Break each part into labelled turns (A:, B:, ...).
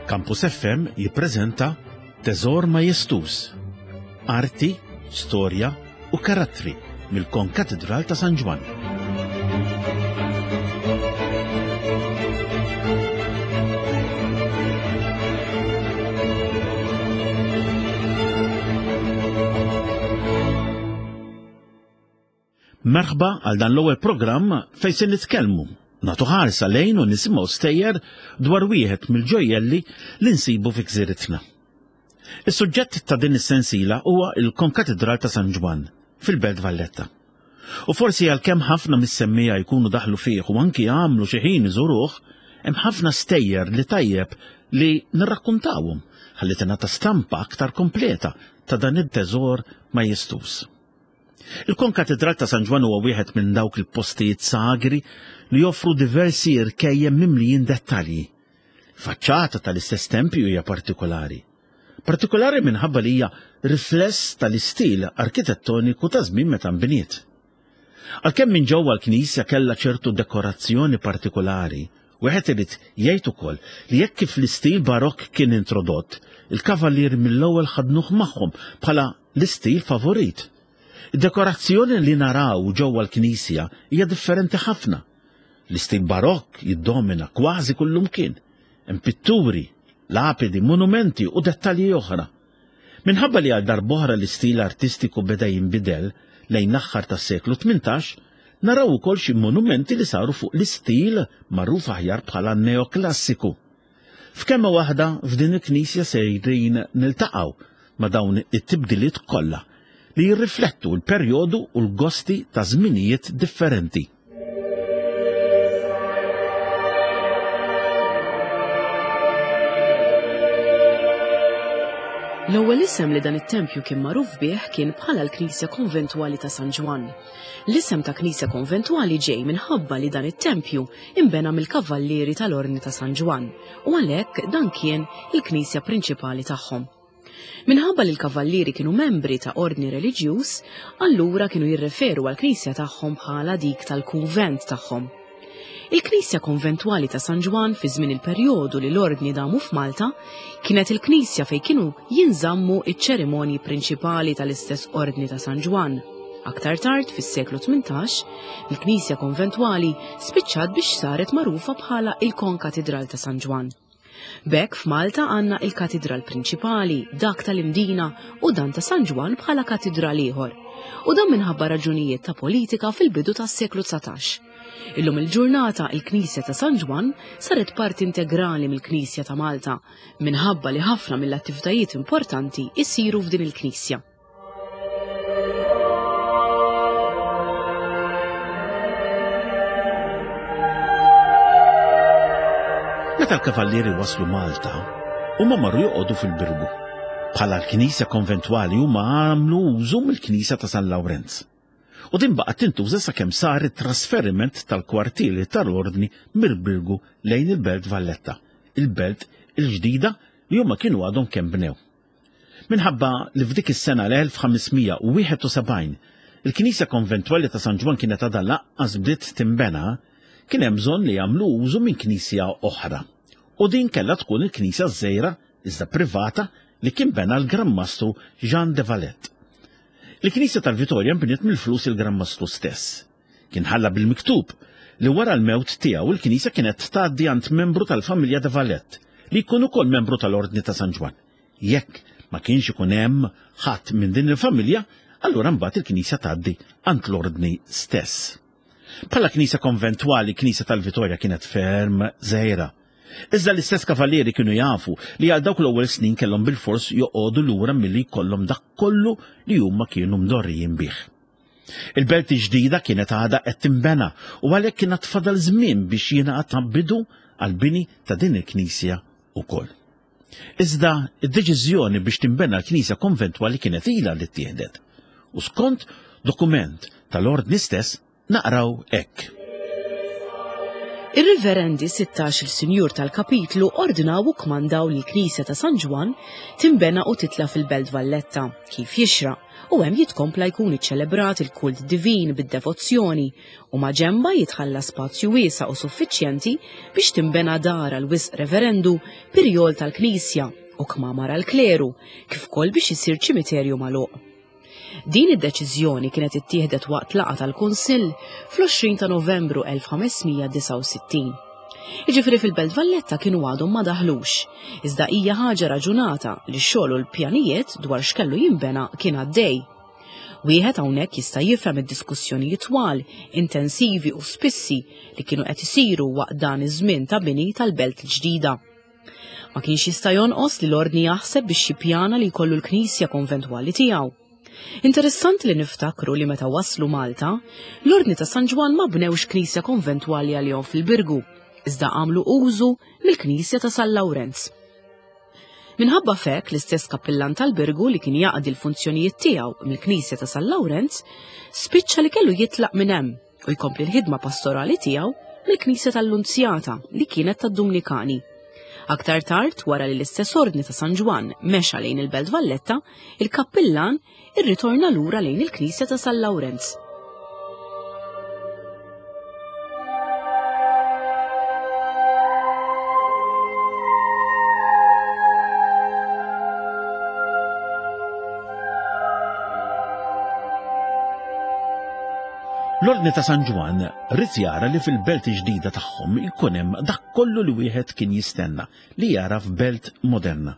A: Campus FM jippreżenta Teżor Majestuż, Arti, Storja u Karattri mill-Konkatidral ta' San Ġwann. Merħba għal dan l-ewwel programm fejn se nitkellmu, nagħtu ħarsa lejn u nisimgħu stejjer dwar wieħed mill-ġojjelli li nsibu fi gżiritna. Is-suġġett ta' din is-sensiela huwa l-Konkatidral ta' San Ġwann fil-Belt Valletta. U forsi għalkemm ħafna mis-semmiegħa jkunu daħlu fih u anki għamlu xi ħin iżuruh, hemm ħafna stejjer li tajjeb li nirrakkuntawhom ħalli tingħata stampa aktar kompleta ta' dan it-teżor majestuż. Il-Konkatidral ta' San Ġwann huwa wieħed minn dawk il-postijiet sagri li joffru diversi irkejjem mimlijin dettalji. Faċċata tal-istess tempju hija partikolari. Partikolari minħabba li hija rifless tal-istil arkitettoniku ta' żmien meta nbniet. Għalkemm minn ġewwa l-knisja kellha ċertu dekorazzjoni partikolari, wieħed irid jgħid ukoll li jekk kif l-istil barokk kien introdott, il-kavallieri mill-ewwel ħadnuh magħhom bħala l-istil favorit. Id-dekorazzjoni li naraw ġewwa l-knisja hija differenti ħafna. L-istil barokk jiddomina kważi kullumkien. Hemm pitturi, lapidi, monumenti u dettalji oħra. Minħabba li għal darb'oħra l-istil artistiku beda jinbidel lejn l-aħħar tas-seklu 18, naraw ukoll xi monumenti li saru fuq l-istil magħruf aħjar bħala neoklassiku. F'kelma waħda, f'din il-knisja sejrin niltaqgħu ma' dawn it-tibdiliet kollha li jirriflettu l-perjodu u l-gosti ta' żminijiet differenti.
B: L-ewwel isem li dan it-tempju kien magħruf bih kien bħala l-Knisja Konventwali ta' San Ġwann. L-isem ta' Knisja Konventwali ġej minħabba li dan it-tempju inbena mill-Kavallieri tal-Ordni ta' San Ġwann u għalhekk dan kien il-knisja prinċipali tagħhom. Minħabba li l-Kavallieri kienu membri ta' ordni reliġjuż, allura kienu jirreferu għall-knisja tagħhom bħala dik tal-kunvent tagħhom. Il-knisja konventwali ta' San Ġwann fi żmien il-perjodu li l-ordni damu f'Malta kienet il-knisja fejn kienu jinżammu iċ-ċerimonji prinċipali tal-istess ordni ta' San Ġwann. Aktar tard, fis-seklu 18, il-knisja konventwali spiċċat biex saret magħrufa bħala il-Konkatidral ta' San Ġwann. B'hekk f'Malta għandna il-katidral prinċipali, dak tal-Imdina u dan ta' San Ġwann bħala katidral ieħor. U dan minħabba raġunijiet ta' politika fil-bidu tas-seklu 19. Illum il-ġurnata il-Knisja ta' San Ġwann saret parti integrali mill-Knisja ta' Malta minħabba li ħafna mill-attivitajiet importanti jsiru f'din il-knisja.
A: Meta l-kavallieri waslu Malta, huma marru joqogħdu fil-Birgu. Bħala l-knisja konventwali huma għamlu użu mill-knisja ta' San Lawrenz. U din baqgħet tintuża sakemm sar it-trasferiment tal-kwartieri tal-Ordni mill-Birgu lejn il-Belt Valletta, il-belt il-ġdida li huma kienu għadhom kemm bnew. Minħabba li f'dik is-sena l-1571 il-knisja konventwali ta' San Ġwann kienet għadha lanqas bdiet tinbena, kien hemm bżonn li jagħmlu użu minn knisja oħra. U din kellha tkun il-knisja ż-żgħira iżda privata li kien bena l-Gran Mastru Jean de Valette. Il-knisja tal-Vitorja nbniet mill-flus il-Gran Mastru stess. Kien ħalla bil-miktub li wara l-mewt tiegħu l-knisja kienet tgħaddi għand membru tal-familja de Valette li jkun ukoll membru tal-Ordni ta' San Ġwann. Jekk ma kienx ikun hemm ħadd minn din il-familja, allura mbagħad il-knisja tgħaddi għand l-Ordni stess. Bħala knisja konventwali, knisja tal-Vitorja kienet ferm żgħira. Iżda l-istess kavallieri kienu jafu li għal dawk l-ewwel snin kellhom bilfors joqogħdu lura milli jkollhom dak kollu li huma kienu mdorrijin bih. Il-belt il-ġdida kienet għadha qed tinbena u għalhekk kien għad fadal żmien biex jingħata bidu għall-bini ta' din il-knisja wkoll. Iżda d-deċiżjoni biex tinbena l-knisja konventwali kienet ilha li ttieħdet u skont dokument tal-Ordni stess naqraw hekk.
B: Ir-Riverendi 16 il-Sinjur tal-Kapitlu ordnaw u kmandaw li l-Knisja ta' San Ġwann tinbena u titla' fil-Belt Valletta, kif jixraq, u hemm jitkompla jkun iċċelebrat il-kult divin bid-devozzjoni u maġenba jitħalla spazju wiesa' u suffiċjenti biex tinbena dar għal wisq reverendu pirjol tal-Knisja u kmamar għall-kleru, kif ukoll biex isir ċimiterju magħluq. Din id-deċiżjoni kienet ittieħdet waqt laqgħa tal-Kunsill fl-20 ta' Novembru 1569. Jiġifieri fil-Belt Valletta kienu għadhom ma daħlux, iżda hija ħaġa raġunata li x-xogħol u l-pjanijiet dwar x'kellu jinbena kien għaddej. Wieħed hawnhekk jista' jifhem id-diskussjonijiet twal, intensivi u spissi li kienu qed isiru waqt dan iż-żmien ta' bini tal-belt il-ġdida. Ma kienx jista' jonqos li l-Ordni jaħseb biex jippjana li jkollu l-knisja konventwali tiegħu. Interessanti li niftakru li meta waslu Malta, l-Ordni ta' San Ġwann ma bnewx knisja konventwali għalihom fil-Birgu, iżda għamlu użu mill-knisja ta' San Lawrenz. Minħabba f'hekk l-istess kappillan tal-Birgu li kien jaqdi l-funzjonijiet tiegħu mill-knisja ta' San Lawrenz spiċċa li kellu jitlaq minn hemm u jkompli l-ħidma pastorali tiegħu mill-Knisja tal-Lunzjata li kienet tad-Dumnikani. Aktar tard, wara li l-istess ordni ta' San Ġwann mexa lejn il-Belt Valletta, il-kappillan irritorna lura lejn il-Knisja ta' San Lawrenz.
A: L-Ordni ta' San Ġwann ried jara li fil-belt ġdida tagħhom ikun hemm dak kollu li wieħed kien jistenna li jara f'belt moderna.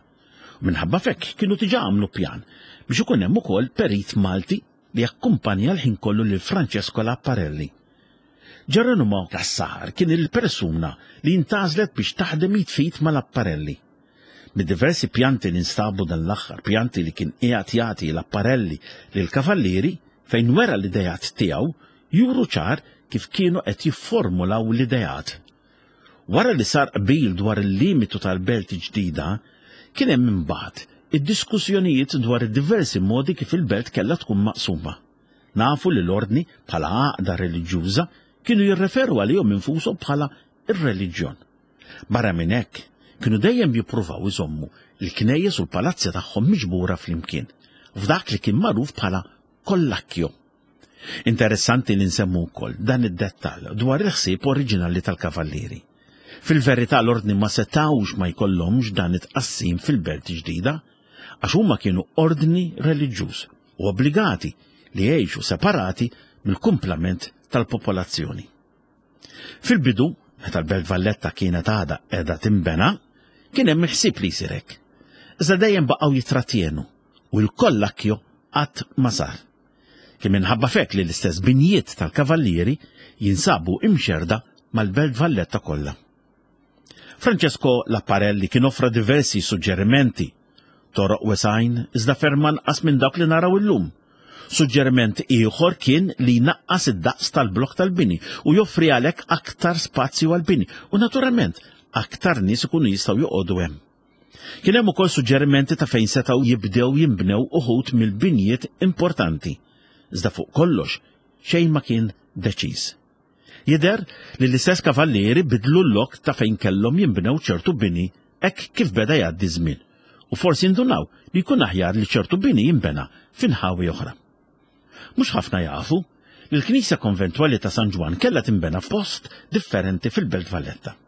A: U minħabba f'hekk kienu diġà għamlu pjan biex ikun hemm ukoll perit Malti li jakkumpanja l-ħin kollu lil Francesco Lapparelli. Geronimo Cassar kien il-persuna li ntgħażlet biex taħdem id f'id ma' Lapparelli. Mid-diversi pjanti li nstabu dan l-aħħar, pjanti li kien qiegħed jagħti l-apparelli lill-kavallieri fejn wera l-ideat tiegħu, juru ċar kif kienu qed jifformulaw l-ideat. Wara li sar qbil dwar il-limitu tal-belt ġdida, kien hemm imbagħad id-diskussjonijiet dwar id-diversi modi kif il-belt kellha tkun maqsuma. Nafu li l-Ordni, bħala għaqda reliġjuża, kienu jirreferu għalihom infushom bħala r-reliġjon. Barra minn hekk, kienu dejjem jippruvaw iżommu l-knejjes u l-palazzi tagħhom miġbura flimkien, f'dak li kien magħruf bħala kollakkjo. Interessanti li nsemmu wkoll dan id-dettall dwar il-ħsieb oriġinali tal-Kavallieri. Fil-verità l-Ordni ma setgħux ma jkollhomx dan it-tqassim fil-belt ġdida, għax huma kienu ordni reliġjuż u obbligati li jgħixu separati mill-kumplament tal-popolazzjoni. Fil-bidu, meta l-Belt Valletta kienet għadha qiegħda tinbena, kien hemm il-ħsieb li jsir hekk. Iżda dejjem baqgħu jittratjenu u l-kollakkjo qatt ma sar. Kien minħabba f'hekk li l-istess binjiet tal-Kavallieri jinsabu imxerrda mal-Belt Valletta kollha. Francesco Lapparelli kien offra diversi suġġerimenti, toroq wesgħin iżda ferm anqas minn dawk li naraw illum. Suġġeriment ieħor kien li jnaqqas id-daqs tal-blokk tal-bini u joffri għalhekk aktar spazju għall-bini u naturalment aktar nies ikunu jistgħu joqogħdu hemm. Kien hemm ukoll suġġerimenti ta' fejn setgħu jibdew jinbnew uħud mill-binjiet importanti. Iżda fuq kollox xejn ma kien deċiż. Jidher li l-istess kavallieri bidlu l-lok ta' fejn kellhom jinbnew ċertu bini hekk kif beda jgħaddi ż-żmien, u forsi ndunaw li jkun aħjar li ċertu bini jinbena fi nħawi oħra. Mhux ħafna jafu li l-knisja konventwali ta' San Ġwann kellha tinbena f'post differenti fil-Belt Valletta.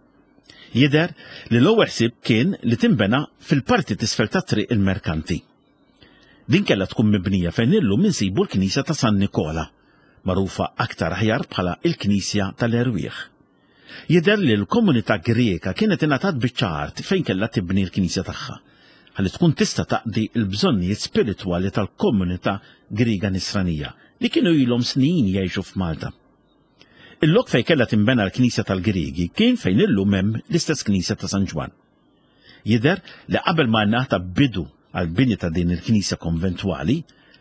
A: Jidher li l-ewwel ħsieb kien li tinbena fil-parti t'isfel ta' Triq il-Merkanti. Din kellha tkun mibnija fejn illum insibu l-Knisja ta' San Nikola, magħrufa aktar aħjar bħala l-Knisja tal-Erwieħ. Jidher li l-komunità Griega kienet ingħatat biċċa art fejn kellha tibni l-knisja tagħha, ħalli tkun tista' taqdi l-bżonnijiet spiritwali tal-komunità Griega Nisranija li kienu ilhom snin jgħixu f'Malta. Il-lok fejn kellha tinbena l-knisja tal-Griegi kien fejn illum hemm l-istess knisja ta' San Ġwann. Jidher li qabel ma ngħata bidu għall-bini ta' din il-knisja konventwali,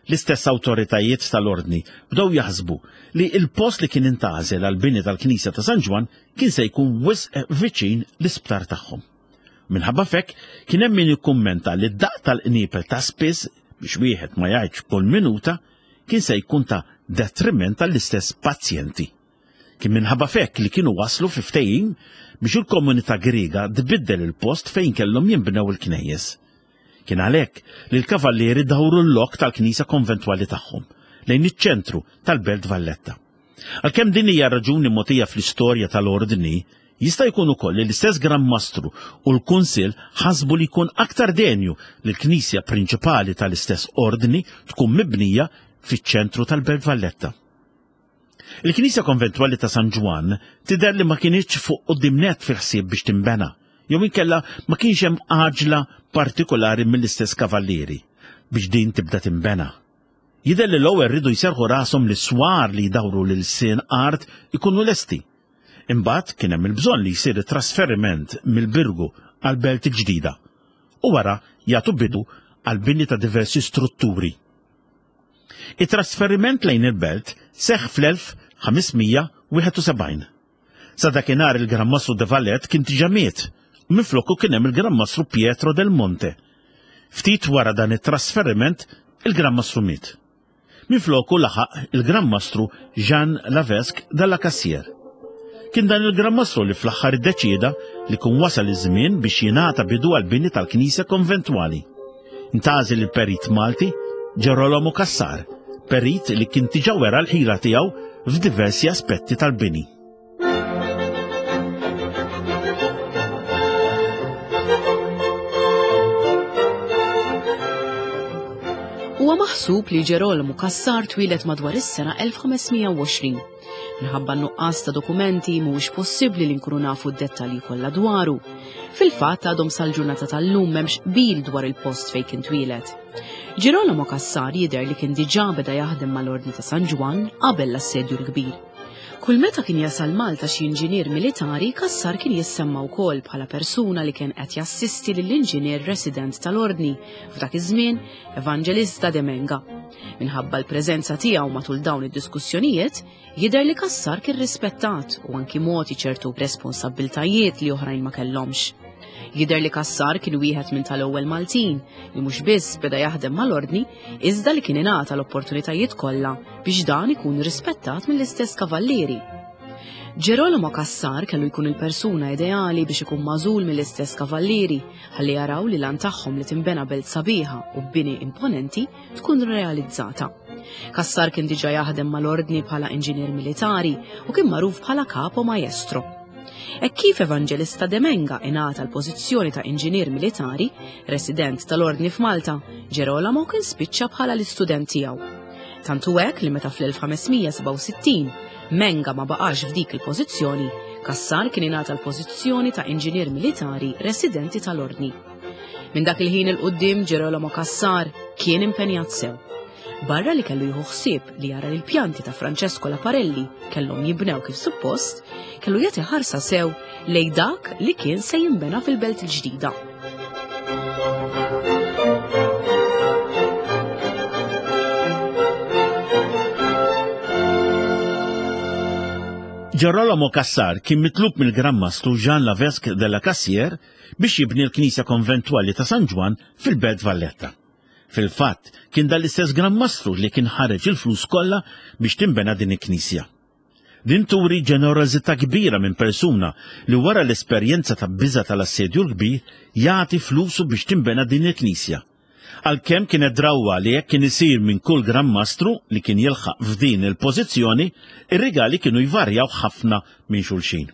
A: l-istess awtoritajiet tal-Ordni bdew jaħsbu li l-post li kien intgħażel għall-bini tal-knisja ta' San Ġwann kien se jkun wisq viċin l-isptar tagħhom. Minħabba f'hekk kien hemm min ikkummenta li d-daqq tal-qniepel ta' spiss, biex wieħed ma jgħidx kull minuta, kien se jkun ta' detriment għall-istess pazjenti. Kien minħabba f'hekk li kienu waslu fi ftehim biex il-komunità Griega tbiddel il-post fejn kellhom jinbnew il-knejjes. Kien għalhekk li l-Kavallieri dawru l-lok tal-knisja konventwali tagħhom lejn iċ-ċentru tal-Belt Valletta. Għalkemm din hija raġuni mogħtija fl-istorja tal-Ordni, jista' jkun ukoll li l-istess Gran Mastru u l-Kunsill ħasbu li jkun aktar denju li l-knisja prinċipali tal-istess Ordni tkun mibnija fiċ-ċentru tal-Belt Valletta. Il-knisja konventwali ta' San Ġwann tidher li ma kinitx fuq quddiem nett fil-ħsieb biex tinbena, jew inkella ma kienx hemm għaġla partikolari mill-istess kavallieri biex din tibda tinbena. Jidher li l-ewwel riedu jserrħu rashom li s-swar li jdawru l-ilsien art ikunu lesti. Imbagħad kien hemm il-bżonn li jsir it-trasferiment mill-Birgu għall-Belt il-ġdida u wara jagħtu bidu għall-bini ta' diversi strutturi. It-trasferiment lejn il-belt seħħ fl-1571. Sa dakinhar il-Gran Mastru de Valette kien diġà miet u minfloku kien hemm il-Gran Mastru Pietro del Monte. Ftit wara dan it-trasferiment il-Gran Mastru miet. Minfloku laħaq il-Gran Mastru Jean Lavesque de la Cassière. Kien dan il-Gran Mastru li fl-aħħar iddeċieda li kun wasal iż-żmien biex jingħata bidu għall-bini tal-knisja konventwali. Ntgħażel il-perit Malti Gerolamo Cassar, perit li kien diġà wera l-ħila tiegħu f'diversi aspetti tal-bini.
B: Huwa maħsub li Ġerolmu Cassar twieled madwar is-sena 1520. Minħabba n-nuqqas ta' dokumenti mhuwiex possibbli li nkunu nafu d-dettalji kollha dwaru. Fil-fatt għadhom sal-ġurnata tal-lum m'hemmx qbil dwar il-post fejn kien twieled. Ġirolamo Cassar jidher li kien diġà beda jaħdem mal-Ordni ta' San Ġwann qabel l-Assedju l-Kbir. Kull meta kien jasal Malta xi inġinier militari, Cassar kien jissemma wkoll bħala persuna li kien qed jassisti lill-inġinier resident tal-Ordni f'dak iż-żmien, Evangelista de Menga. Minħabba l-preżenza tiegħu matul dawn id-diskussjonijiet, jidher li Cassar kien rispettat u anki mogħti ċertu responsabbiltajiet li oħrajn ma kellhomx. Jidher li Cassar kien wieħed minn tal-ewwel Maltin li mhux biss beda jaħdem mal-Ordni, iżda li kien ingħata l-opportunitajiet kollha biex dan ikun rispettat mill-istess kavallieri. Ġerolamo Cassar kellu jkun il-persuna ideali biex ikun magħżul mill-istess kavallieri ħalli jaraw li lan tagħhom li tinbena belt sabiħa u b'bini imponenti tkun realizzata. Cassar kien diġà jaħdem mal-ordni bħala inġinier militari u kien magħruf bħala capo maestro. Hekk kif Evangelista de Menga ingħata l-pożizzjoni ta' inġinier militari, resident tal-Ordni f'Malta, Ġerolamo kien spiċċa bħala l-istudent tiegħu. Tant hu hekk li meta fl-1567 Menga ma baqax f'dik il-pożizzjoni, Cassar kien ingħata l-pożizzjoni ta' inġinier militari residenti tal-Ordni. Minn dak il-ħin 'il quddiem Ġerolamo Cassar kien impenjat sew. Barra li kellu jieħu ħsieb li jara li l-pjanti ta' Francesco Laparelli kellhom jibnew kif suppost, kellu jagħti ħarsa sew lej dak li kien se jinbena fil-belt il-ġdida.
A: Gerolamo Cassar kien mitlub mill-Gran Mastru Jean Lavesque de la Cassière biex jibni l-Knisja Konventwali ta' San Ġwann fil-Belt Valletta. Fil-fatt, kien dan l-istess Gran Mastru li kien ħareġ il-flus kollha biex tinbena din il-knisja. Din turi ġenerożità kbira minn persuna li wara l-esperjenza ta' biża' tal-Assedju l-Kbir jagħti flusu biex tinbena din il-knisja. Għalkemm kienet drawwa li hekk kien isir minn kull Gran Mastru li kien jilħaq f'din il-pożizzjoni, ir-rigali kienu jvarjaw ħafna minn xulxin.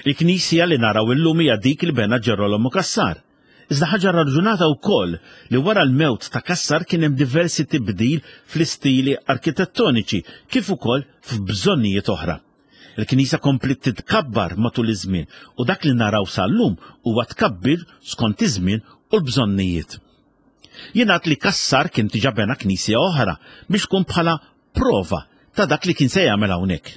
A: Il-knisja li naraw illum hija dik li bena Ġerolomu Cassar. Iżda ħaġa raġunata wkoll li wara l-mewt ta' Cassar kien hemm diversi tibdil fl-istili arkitettoniċi kif ukoll f'bżonnijiet oħra. Il-knisja kompliet titkabbar matul iż-żmien u dak li naraw sal-lum huwa tkabbir skont iż-żmien u l-bżonnijiet. Jingħad li Cassar kien diġà bena knisja oħra biex tkun bħala prova ta' dak li kien se jagħmel hawnhekk.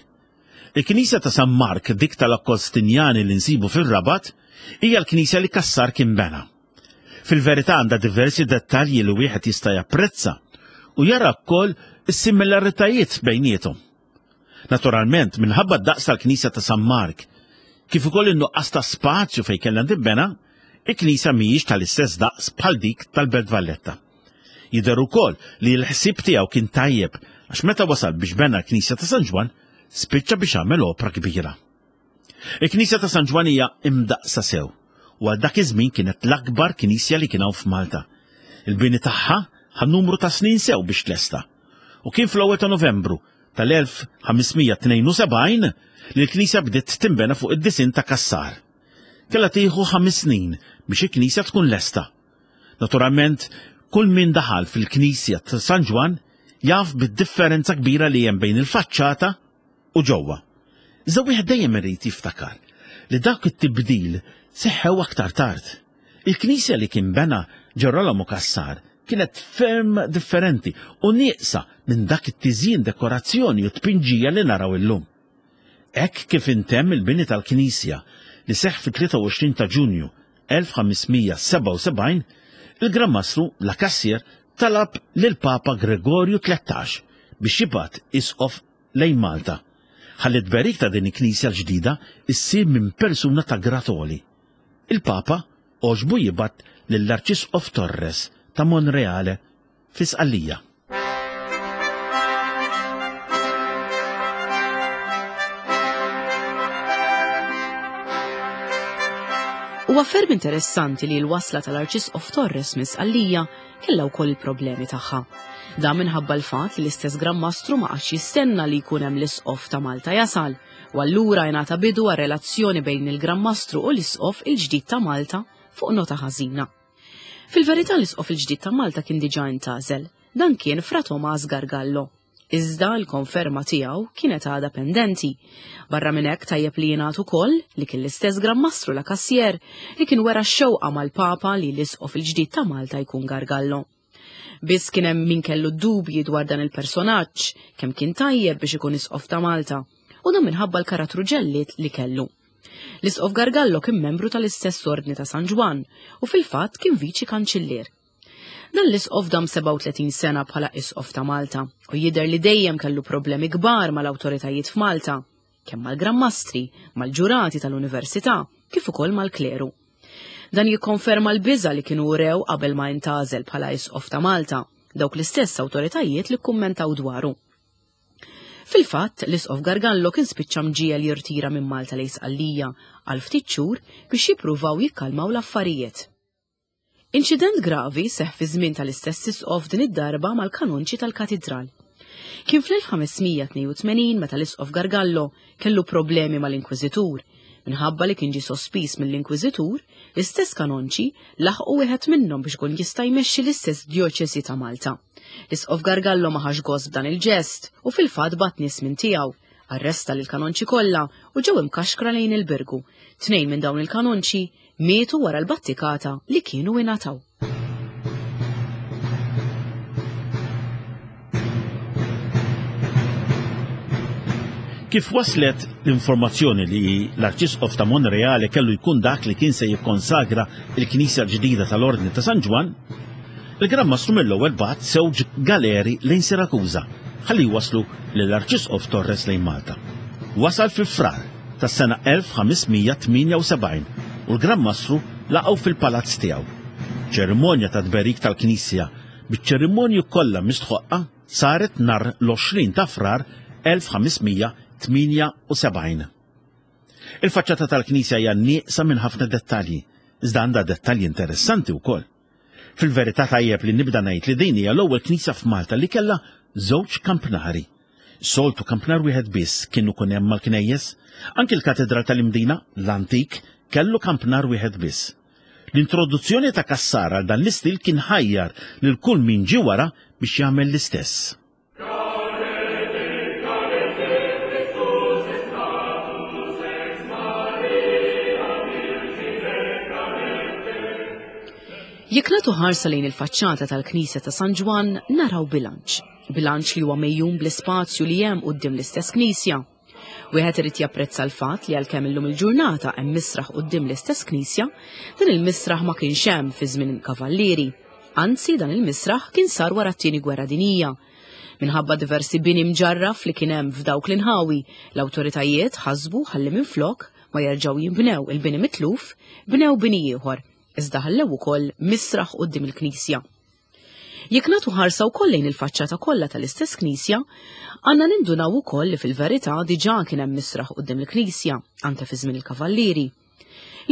A: Il-Knisja ta' San Mark, dik tal-Akkostinjani li nsibu fir-Rabat, hija l-knisja li Cassar kien bena. Fil-verità għandha diversi dettalji li wieħed jista' japprezza u jara wkoll is-similaritajiet bejniethom. Naturalment, minħabba d-daqs tal-Knisja ta' San Mark, kif ukoll in-nuqqas ta' spazju fejn kellha tinbena, il-knisja mhijiex tal-istess daqs bħal dik tal-Belt Valletta. Jidher ukoll li l-ħsieb tiegħu kien tajjeb għax meta wasal biex bena l-Knisja ta' San Ġwann, spiċċa biex għamel opra kbira. Il-Knisja ta' San Ġwann hija imdaqqsa sew u għal dak iż-żmien kienet l-akbar knisja li kien hawn f'Malta. Il-bini tagħha ħa numru ta' snin sew biex tlesta u kien fl-ewwel ta' Novembru tal-1572 li l-knisja bdiet tinbena fuq id-disinn ta' Cassar. Kellha tieħu ħames snin biex il-knisja tkun lesta. Naturalment, kull min daħal fil-knisja ta' San Ġwann jaf bid-differenza kbira li hemm bejn il-faċċata u ġewwa. Iżda wieħed dejjem irid jiftakar li dak it-tibdil seħħew aktar tard. Il-knisja li kien bena Ġerolamo Cassar kienet ferm differenti u nieqsa minn dak it-tiżjin dekorazzjoni u tpinġija li naraw illum. Hekk kif intemm il-bini tal-knisja li seħħ fit-23 ta' Ġunju 1577, il-Gran Mastru La Cassier talab lill-Papa Gregorju 13 biex jibgħat isqof lejn Malta, ħalli t-tberik ta' din il-knisja l-ġdida ssir minn persuna ta' grad għoli. Il-Papa għoġbu jibgħat lill-Arċisqof Torres ta' Monreale fi Sqallija.
B: Huwa ferm interessanti li l-wasla tal-Arċisqof Torres minn Sqallija kellha wkoll il-problemi tagħha. Dan minħabba l-fatt li l-istess Gran Mastru ma qagħadx jistenna li jkun hemm l-Isqof ta' Malta jasal, u allura ingħata bidu għar-relazzjoni bejn il-Gran Mastru u l-Isqof il-ġdid ta' Malta fuq nota ħażina. Fil-verità l-Isqof il-ġdid ta' Malta kien diġà intgħażel, dan kien Fra Tomas Gargallo. Iżda l-konferma tiegħu kienet għadha pendenti. Barra minn hekk tajjeb li jingħad ukoll li kien l-istess Gran Mastru La Cassier li kien wera x-xewqa mal-Papa li l-Isqof il-ġdid ta' Malta jkun Gargallo. Biss kien hemm min kellu dubji dwar dan il-personaġġ, kemm kien tajjeb biex ikun Isqof ta' Malta, u dan minħabba l-karattru ġellied li kellu. L-Isqof Gargallo kien membru tal-istess Ordni ta' San Ġwann u fil-fatt kien viċi kanċillier. Dan l-isqof dam 37 sena bħala isqof ta' Malta u jidher li dejjem kellu problemi kbar mal-awtoritajiet f'Malta, kemm mal-Gran Mastri, mal-ġurati tal-Università, kif ukoll mal-kleru. Dan jikkonferma l-biża' li kienu urew qabel ma intgħażel bħala isqof ta' Malta, dawk l-istess awtoritajiet li kkummentaw dwaru. Fil-fatt, l-Isqof Gargallo kien spiċċa mġiegħel jirtira minn Malta lejn Sqallija għal ftit xhur biex jippruvaw jikkalmaw l-affarijiet. Inċident gravi seħħ fi żmien tal-istess isqof din id-darba mal-kanonċi tal-katidral. Kien fl-1582 meta l-isqof Gargallo kellu problemi mal-inkwiżitur. Minħabba li kien ġie sospiż mill-inkwiżitur, l-istess kanonċi laħqu wieħed minnhom biex ikun jista' jmexxi l-istess djoċesi ta' Malta. L-isqof Gargallo ma ħax gost b'dan il-ġest u fil-fatt bagħat nies minn tiegħu, arresta lill-kanonċi kollha u ġew imkaxkra lejn il-Birgu. Tnejn minn dawn il-kanonċi Mietu wara l-battikata li kienu ingħataw.
A: Kif waslet l-informazzjoni li l-Arċisqof ta' Monreale kellu jkun dak li kien se jikkonsagra l-knisja l-ġdida tal-Ordni ta' San Ġwann, il-Gran Mastru mill-ewwel bagħat żewġ galeri lejn Sirakuża ħalli jwasslu lill-Arċisqof Torres lejn Malta. Wasal fi Frar tas-sena 1578 u l-Gran Mastru laqgħu fil-palazz tiegħu. Ċerimonja ta' tberik tal-knisja biċ-ċerimonji kollha mistħoqqa saret nhar l-20 ta' Frar 1578. Il-faċċata tal-knisja hija nieqsa minn ħafna dettalji, iżda għandha dettalji interessanti wkoll. Fil-verità tajjeb li nibda ngħid li din hija l-ewwel knisja f'Malta li kellha żewġ kampnari. Soltu kampnar wieħed biss kien ikun hemm mal-knejjes. Anki l-Katedral tal-Imdina, l-antik, kellu kampnar wieħed biss. L-introduzzjoni ta' Cassar għal dan l-istil kien ħajjar lil kull min ġie wara biex jagħmel l-istess.
B: Jekk nagħtu ħarsa lejn il-faċċata tal-Knisja ta' San Ġwann naraw bilanċ. Bilanċ li huwa mejjun bl-ispazju li hemm quddiem l-istess knisja. Wieħed irid japprezza l-fatt li għalkemm illum il-ġurnata hemm misraħ quddiem l-istess knisja, dan il-misraħ ma kienx hemm fi żmien il-Kavallieri. Anzi, dan il-misraħ kien sar wara t-Tieni Gwerra Dinjija. Minħabba diversi bini mġarraf li kien hemm f'dawk l-inħawi, l-awtoritajiet ħasbu ħalli minflok ma jerġgħu jinbnew il-bini mitluf, bnew bini ieħor, iżda ħallew ukoll misraħ quddiem il-knisja. Jekk nagħtu ħarsa wkoll lejn il-faċċata kollha tal-istess knisja, għandna nindunaw ukoll li fil-verità diġà kien hemm misraħ quddiem il-knisja, anke fi żmien il-Kavallieri.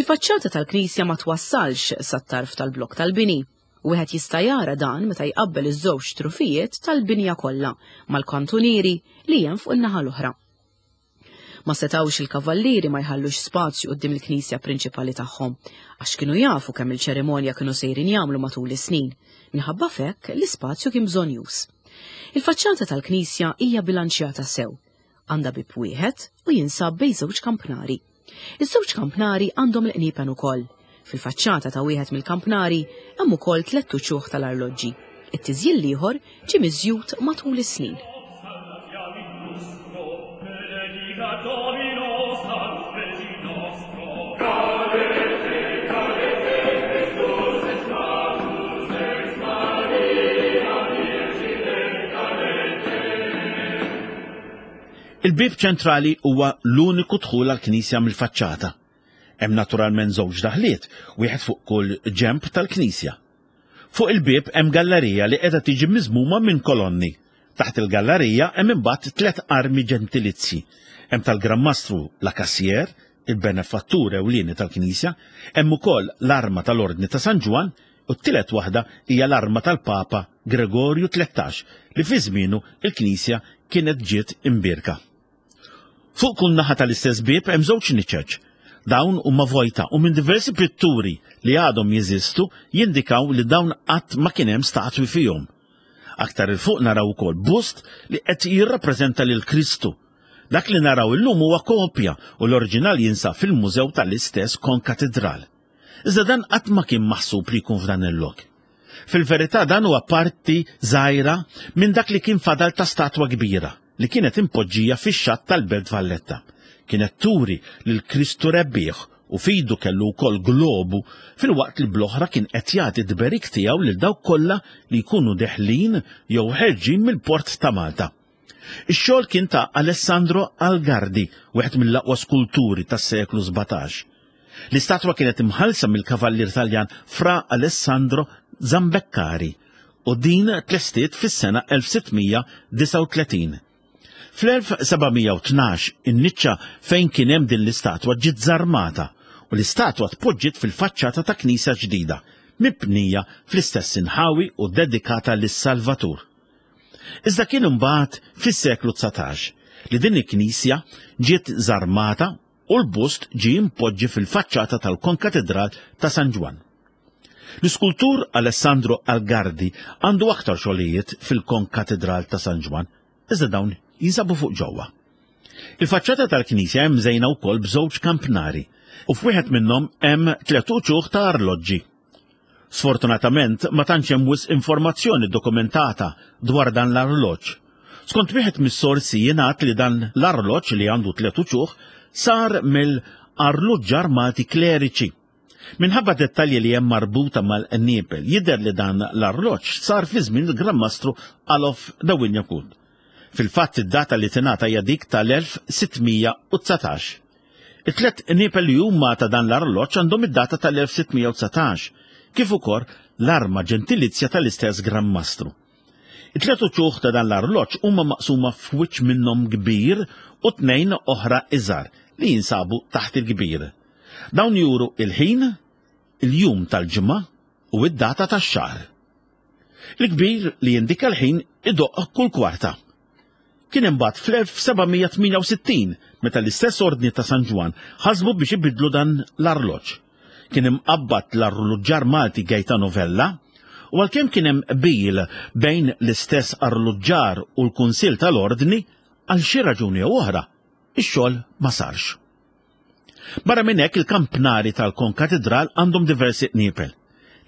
B: Il-faċċata tal-knisja ma twassalx sat-tarf tal-blokk tal-bini. Wieħed jista' jara dan meta jqabbel iż-żewġ trufijiet tal-binja kollha mal-kantunieri li hemm fuq in-naħa l-oħra. Ma setgħux il-kavallieri ma jħallux spazju quddiem il-knisja prinċipali tagħhom, għax kienu jafu kemm il-ċerimonja kienu sejrin jagħmlu matul is-snin. Minħabba f'hekk l-ispazju kien bżonjuż. Il-faċċata tal-knisja hija bilanċjata sew. Għandha bieb wieħed u jinsab bejn żewġ kampnari. Iż-żewġ kampnari għandhom il-qniepen ukoll. Fil-faċċata ta' wieħed mill-kampnari hemm ukoll tlett uċuħ tal-arloġġi. It-tiżjil l-ieħor ġie miżjud matul is-snin.
A: Il-bieb ċentrali huwa l-uniku dħul għall-knisja mill-faċċata. Hemm naturalment żewġ daħliet, wieħed fuq kull ġenb tal-knisja. Fuq il-bieb hemm gallerija li qiegħda tiġi miżmuma minn kolonni. Taħt il-gallerija hemm imbagħad tliet armi ġentilizji. Hemm tal-Gran Mastru La Cassière, il-benefattur ewlieni tal-knisja, hemm ukoll l-arma tal-Ordni ta' San Ġwann u t-tielet waħda hija l-arma tal-Papa Gregorju 13 li fi żmienu l-knisja kienet ġiet imbierka. Fuq kull naħa tal-istess bieb hemm żewġ niċeċ. Dawn huma vojta u minn diversi pitturi li għadhom jeżistu jindikaw li dawn qatt ma kien hemm statwi fihom. Aktar 'il fuq naraw ukoll bust li qed jirrappreżenta lil Kristu. Dak li naraw illum huwa kopja u l-oriġinal jinsab fil-mużew tal-istess konkatidral. Iżda dan qatt ma kien maħsub li jkun f'dan il-lok. Fil-verità dan huwa parti żgħira minn dak li kien fadal ta' statwa kbira li kienet impoġġija fix-xatt tal-Belt Valletta. Kienet turi lil Kristu rebbieħ u f'idu kellu wkoll globu filwaqt li bl-oħra kien qed jagħti t-tberik tiegħu lil dawk kollha li jkunu deħlin jew ħerġin mill-port ta' Malta. Ix-xogħol kien ta' Alessandro Algardi, wieħed mill-aqwa skulturi tas-seklu 17. L-istatwa kienet imħallsa mill-kavallier Taljan Fra Alessandro Zambeccari u din tlestiet fis-sena 1639. Fl-1712 in-niċċa fejn kien hemm din l-istatwa ġiet żarmata u l-istatwa tpoġġiet fil-faċċata ta' knisja ġdida, mibnija fl-istess inħawi u dedikata lis-Salvatur. Iżda kien imbagħad fis-seklu 19 li din il-knisja ġiet żarmata u l-bust ġie impoġġi fil-faċċata tal-Konkatedral ta' San Ġwann. L-iskultur Alessandro Algardi għandu aktar xogħlijiet fil-Konkatedral ta' San Ġwann, iżda dawn jinsabu fuq ġewwa. Il-faċċata tal-knisja hemm mżejna wkoll b'żewġ kampnari u f'wieħed minnhom hemm tliet uċuħ ta' arloġġi. Sfortunatament ma tantx hemm wisq informazzjoni dokumentata dwar dan l-arloġġ. Skont wieħed mis-sorsi jingħad li dan l-arloġġ li għandu tliet uċuħ sar mill-arluġġar Malti kleriċi. Minħabba dettalji li hemm marbuta mal-qniepel jidher li dan l-arloġġ sar fi żmien il-Gran Mastru Alof de Wignacourt. Fil-fatt id-data li tingħata hija dik tal-1619. It-tliet qniepel li huma ta' dan l-arloġġ għandhom id-data tal-1619, kif ukoll l-arma ġentilizja tal-istess Gran Mastru. It-tliet uċuħ ta' dan l-arloġġ huma maqsuma f'wiċċ minnhom kbir u tnejn oħra iżgħar li jinsabu taħt il-kbir. Dawn juru il-ħin, il-jum tal-ġimgħa u id-data tax-xahar. Il-kbir li jindika l-ħin idoqq kull kwarta. Kien imbagħad fl-1768 meta l-istess Ordni ta' San Ġwann ħasbu biex ibiddlu dan l-arloġġ. Kien imqabbad l-arluġġar Malti Gaetano Vella u għalkemm kien hemm qbil bejn l-istess arluġġar u l-Kunsill tal-Ordni, għal xi raġuni jew oħra, ix-xogħol ma sarx. Barra minn hekk il-kampnari tal-Konkatidral għandhom diversi qniepel.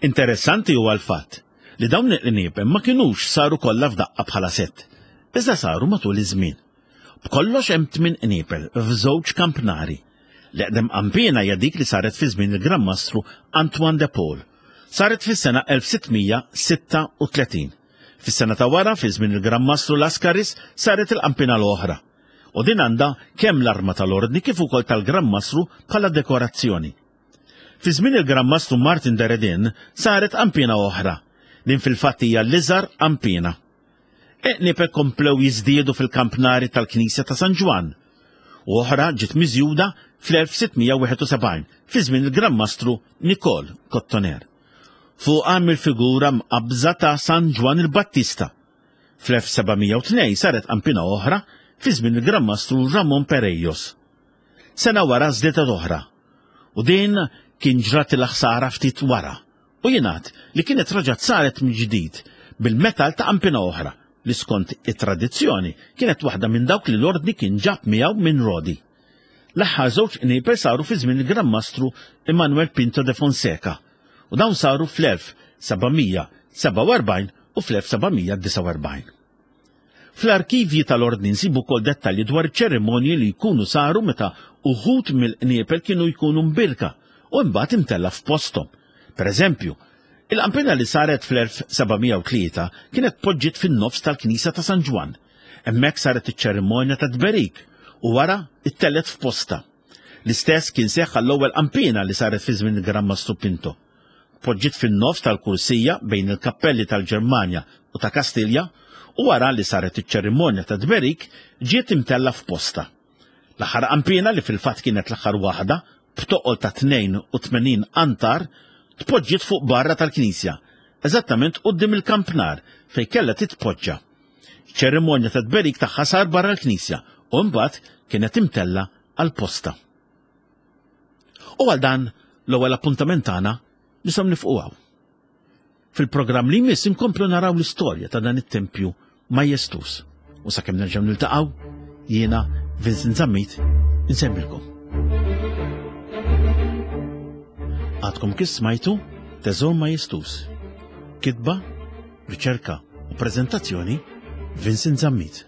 A: Interessanti huwa l-fatt li dawn il-qniepel ma kinux saru kollha f'daqqa bħala sett, iżda saru matul iż-żmien. B'kollox hemm tmien qniepel f'żewġ kampnari. L-eqdem qanpiena hija dik li saret fi żmien il-Gran Mastru Antoine de Paul. Saret fis-sena 1636. Fis-sena ta' wara, fi żmien il-Gran Mastru Lascaris, saret il-qanpiena l-oħra. U din għandha kemm l-arma tal-Ordni kif ukoll tal-Gran Mastru bħala dekorazzjoni. Fi żmien il-Gran Mastru Martin de Redin saret qanpiena oħra. Din fil-fatt hija l-iżgħar qanpiena. Eqniepe komplew jiżdiedu fil-kampnari tal-Knisja ta' San Ġwann u oħra ġiet miżjuda fl-1671 fi żmien il-Gran Mastru Nikol Kottoner. Fuqha hemm il-figura mqabbża ta' San Ġwann il-Battista. Fl-1702 saret qanpiena oħra fi żmien il-Gran Mastru Ramon Perejos. Sena wara żdiedet oħra u din kien ġratilha ħsara ftit wara u jingħad li kienet raġgħet saret mill-ġdid bil-metall ta' qanpiena oħra li skont it-tradizzjoni kienet waħda minn dawk li l-Ordni kien ġab miegħu minn Rodi. L-aħħar żewġ qnieper saru fi żmien il-Gran Mastru Emanuel Pinto de Fonseca u dawn saru fl-1747 u fl-1749. Fl-arkivji tal-Ordni nsibu wkoll dettalji dwar iċ-ċerimonji li jkunu saru meta uħud mill-qniepel kienu jkunu mbierka u imbagħad imtellgħa f'posthom. Per eżempju, il-qanpiena li saret fl-1703 kienet tpoġġiet fin-nofs tal-knisja ta' San Ġwann. Hemmhekk saret iċ-ċerimonja tat-tberik u wara ttellgħet f'postha. L-istess kien seħħ għall-ewwel qanpiena li saret fi żmien il-Gran Mastru Pinto. Tpoġġiet fin-nofs tal-kursija bejn il-kappelli tal-Ġermanja u ta' Kastilja u wara li saret iċ-ċerimonja tat-tberik ġiet imtellgħa f'postha. L-aħħar qanpiena li fil-fatt kienet l-aħħar waħda b'toqol ta' 82 qantar tpoġġiet fuq barra tal-knisja, eżattament quddiem il-kampnar fejn kellha titpoġġa. Iċ-ċerimonja tat-tberik tagħha sar barra l-knisja u imbagħad kienet imtellgħa għal postha. U għal dan l-ewwel appuntament tagħna nistgħu nifqu hawn. Fil-programm li jmiss inkomplu naraw l-istorja ta' dan it-tempju majestuż. U sakemm nerġgħu niltaqgħu, jiena Vincent Zammit insemmilkom. Għadkom kif smajtu Teżor Majestuż. Kitba, riċerka u preżentazzjoni Vincent Zammit.